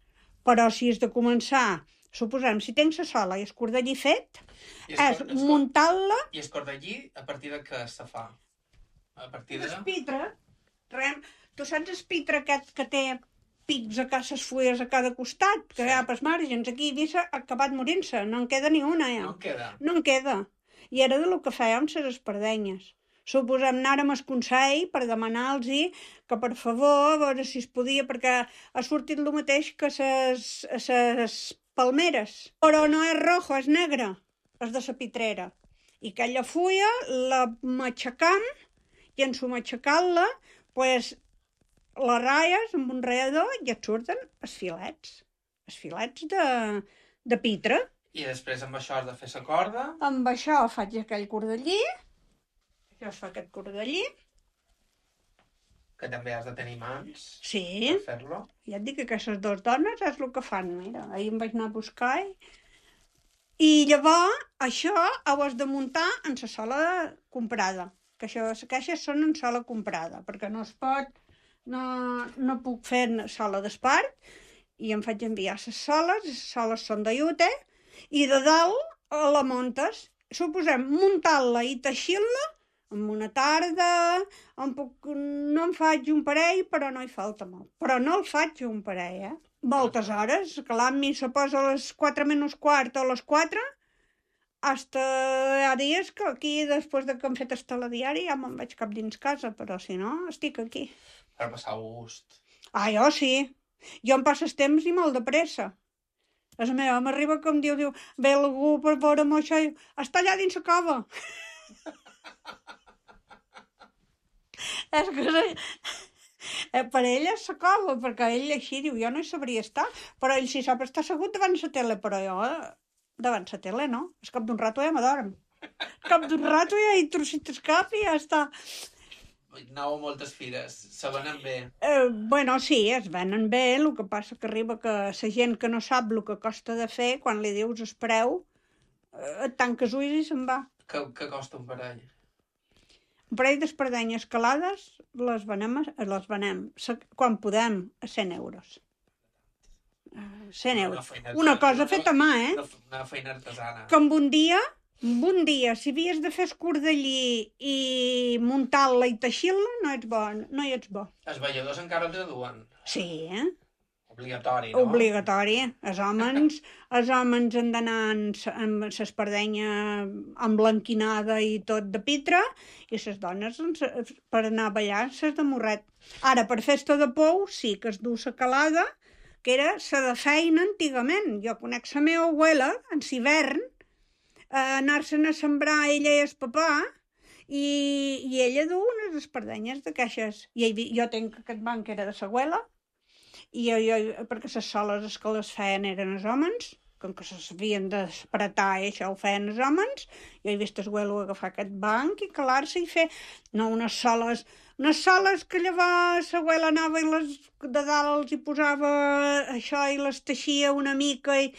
Però si has de començar, suposem, si tens la sola i escordellí fet, és muntar-la... I escordellí a partir de què se fa? A partir de... Espitre. Tu saps el pitre aquest que té pics a les fulles a cada costat, que hi ha pels màrgens? Aquí ha acabat morint-se, no en queda ni una, ja. No en queda? No en queda. I era de lo que fèiem les espardenyes. Suposem, anàrem al Consell per demanar-los que, per favor, a veure si es podia, perquè ha sortit el mateix que les palmeres. Però no és rojo, és negre, és de la pitrera. I aquella fulla la matxacam, i en su matxacar-la, pues, les ratlles amb un ratllador i et surten els filets de pitre. I després amb això has de fer la corda? Amb això faig aquell cordellí, això es fa aquest cordellí. Que també has de tenir mans per fer-lo. Ja et dic que aquestes 2 dones és el que fan, mira, ahir em vaig anar a buscar i llavors això ho has de muntar en la sola comprada. Que les caixes són en sola comprada, perquè no es pot, no puc fer sola d'espart, i em faig enviar les soles són de llute, i de dalt la muntes. Suposem, muntar-la i teixir-la en una tarda, no em faig un parell, però no hi falta molt. Però no el faig un parell, Moltes hores, que l'Ami se posa a les 4 menys quart o a les 4, hasta hi ha dies que aquí, després de que hem fet el telediari, ja me'n vaig cap dins casa, però si no, estic aquí. Per passar gust. Jo sí. Jo em passo el temps i molt de pressa. La meva m'arriba que em diu, ve algú per veure'm això i està allà dins la cova. És que per ell és la cova, perquè ell així diu, jo no hi sabria estar, però ell sí sap estar assegut davant la tele, però jo... davant la tele, no? Al cap d'un rato ja m'adorm. Al cap d'un rato ja hi trocit el cap i ja està. Aneu a moltes fires, se venen bé. Bueno, sí, es venen bé, el que passa que arriba que la gent que no sap el que costa de fer, quan li dius el preu, et tanques ulls i se'n va. Què costa un parell? Un parell d'espardenyes calades les venem, quan podem, a 100 euros. 100 euros. Una cosa feta a mà, Una feina artesana. Que amb un dia, si havies de fer escordellí i muntar-la i teixir-la, no hi ets bo. Els balladors encara els duen? Sí, Obligatori, no? Obligatori. Els homes han d'anar amb l'espardenya emblanquinada i tot de pitre, i les dones, per anar a ballar, s'és de morret. Ara, per festa de pou, sí que es du la calada, que era la de feina antigament. Jo conec la meva abuela, en l'hivern, anar-se'n a sembrar ella i el papà, i ella du unes espardenyes de caixes. I jo tenc aquest banc que era de l'abuela, i perquè les soles que les feien eren els homes, com que s'havien d'espratar i això ho feien els homes, jo he vist el abuelo agafar aquest banc i calar-se i fer unes soles que llavors l'abuela anava i de dalt els hi posava això i les teixia una mica i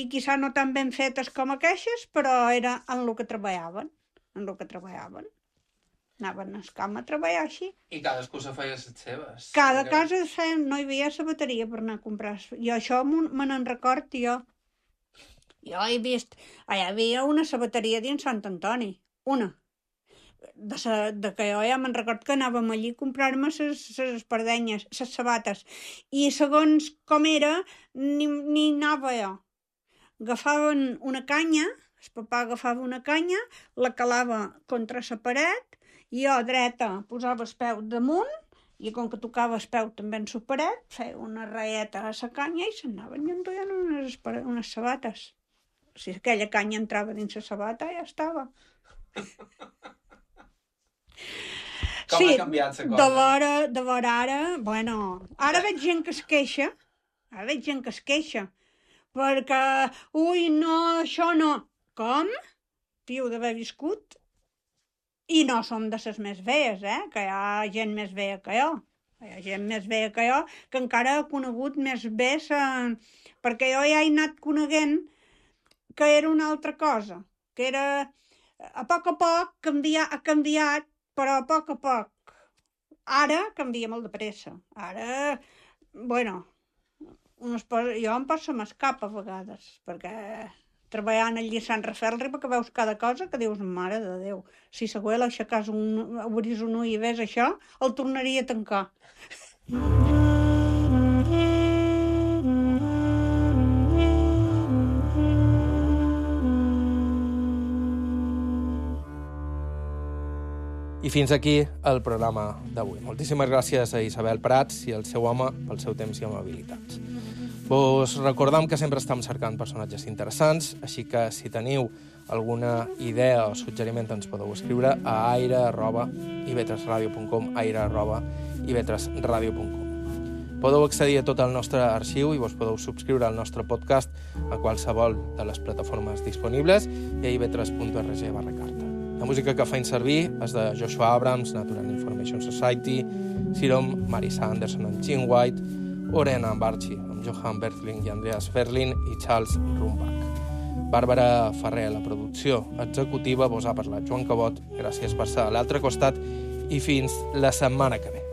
quizà no tan ben fetes com aquestes, però era en el que treballaven, Anaven al camp a treballar així. I cadascú se feia les seves. Cada casa no hi havia sabateria per anar a comprar. Jo això me n'en record, jo. Jo he vist... Allà hi havia una sabateria dins Sant Antoni. Una. De que jo ja me'n record que anàvem allí a comprar-me les espardenyes, les sabates. I segons com era, ni anava jo. Agafaven una canya, el papà agafava una canya, la calava contra la paret, i jo dreta posava el peu damunt, i com que tocava el peu també en la paret, feia una raieta a la canya i s'anaven i enduien unes sabates. Si aquella canya entrava dins la sabata, ja estava. Com ha canviat la cosa? De vora ara, bueno, ara veig gent que es queixa, perquè, ui, no, això no. Com? Piu d'haver viscut. I no som de les més veies, que hi ha gent més veia que jo. Hi ha gent més veia que jo, que encara ha conegut més bé, perquè jo ja he anat coneguent que era una altra cosa, que era, a poc ha canviat, però a poc. Ara canvia molt de pressa. Ara, bueno, jo em poso m'escapa a vegades, perquè treballant allí a Sant Rafael arriba que veus cada cosa que dius, mare de Déu, si següent aixeques obris un ull i ves això, el tornaria a tancar. I fins aquí el programa d'avui. Moltíssimes gràcies a Isabel Prats i al seu home pel seu temps i amabilitats. Vos recordam que sempre estem cercant personatges interessants, així que si teniu alguna idea o suggeriment ens podeu escriure a aire@ivetresradio.com, aire@ivetresradio.com. Podeu accedir a tot el nostre arxiu i vos podeu subscriure al nostre podcast a qualsevol de les plataformes disponibles i a ivetres.org/carta. La música que feim servir és de Joshua Abrams, Natural Information Society, Sirom, Marisa Anderson amb Gene White, Orena Barchi amb Johan Berthling i Andreas Ferlin i Charles Rumbach. Bàrbara Ferrer, la producció executiva, vos ha parlat Joan Cabot. Gràcies per ser a l'altre costat i fins la setmana que ve.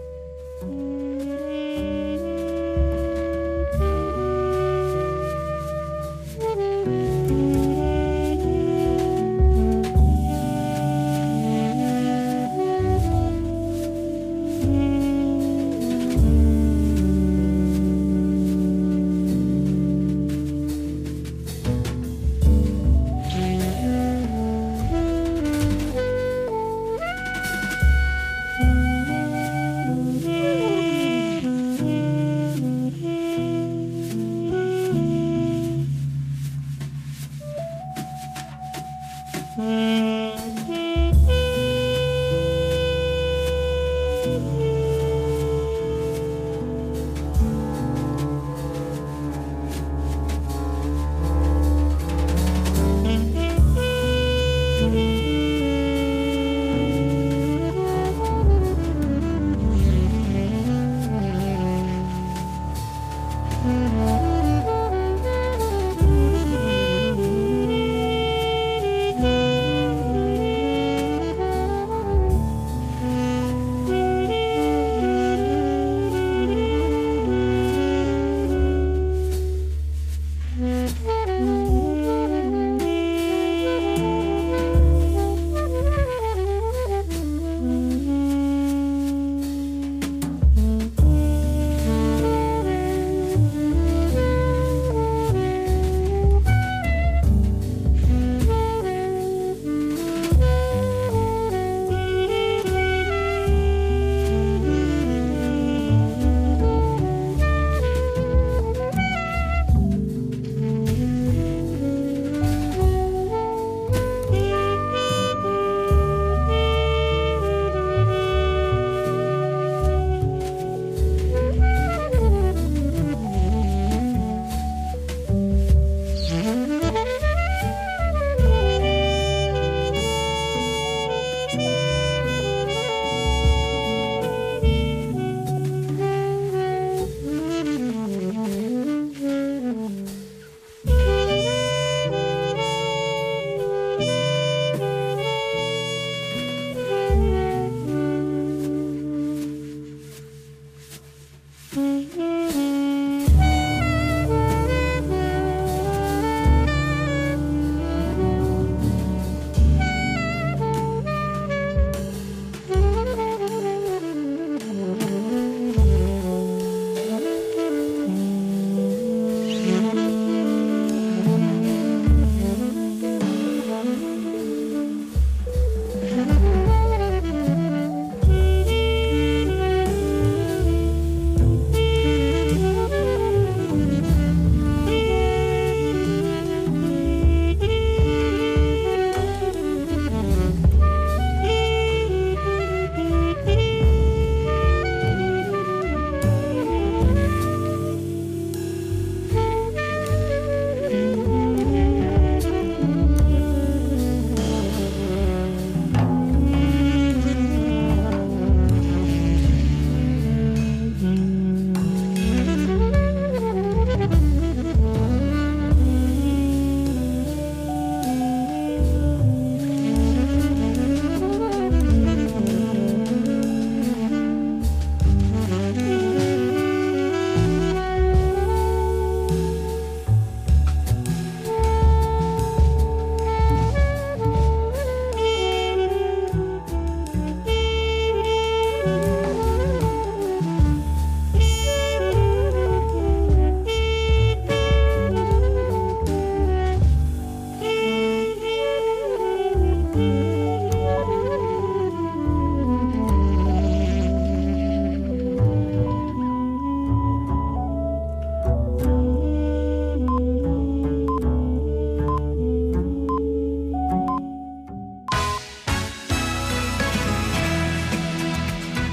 Mm-hmm.